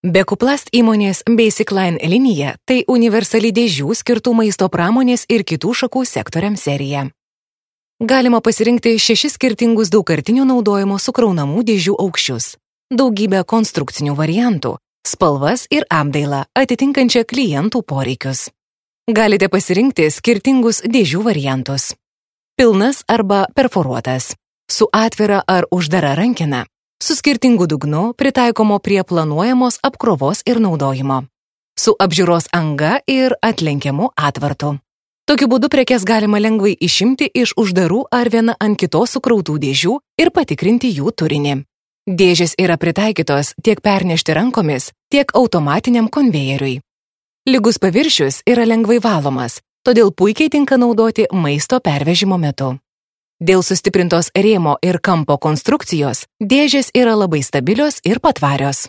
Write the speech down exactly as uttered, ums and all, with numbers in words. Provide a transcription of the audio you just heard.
Bekuplast įmonės Basic Line linija tai universali dėžių skirtų maisto pramonės ir kitų šakų sektoriams serija. Galima pasirinkti šešis skirtingus daugkartinio naudojimo sukraunamų dėžių aukščius, daugybę konstrukcinių variantų, spalvas ir apdailą atitinkančią klientų poreikius. Galite pasirinkti skirtingus dėžių variantus. Pilnas arba perforuotas, su atvira ar uždara rankena, su skirtingu dugnu pritaikomo prie planuojamos apkrovos ir naudojimo, su apžiūros anga ir atlenkiamu atvartu. Tokiu būdu prekes galima lengvai išimti iš uždarų ar viena ant kitos sukrautų dėžių ir patikrinti jų turinį. Dėžės yra pritaikytos tiek pernešti rankomis, tiek automatiniam konvejeriui. Lygus paviršius yra lengvai valomas, todėl puikiai tinka naudoti maisto pervežimo metu. Dėl sustiprintos rėmo ir kampo konstrukcijos, dėžės yra labai stabilios ir patvarios.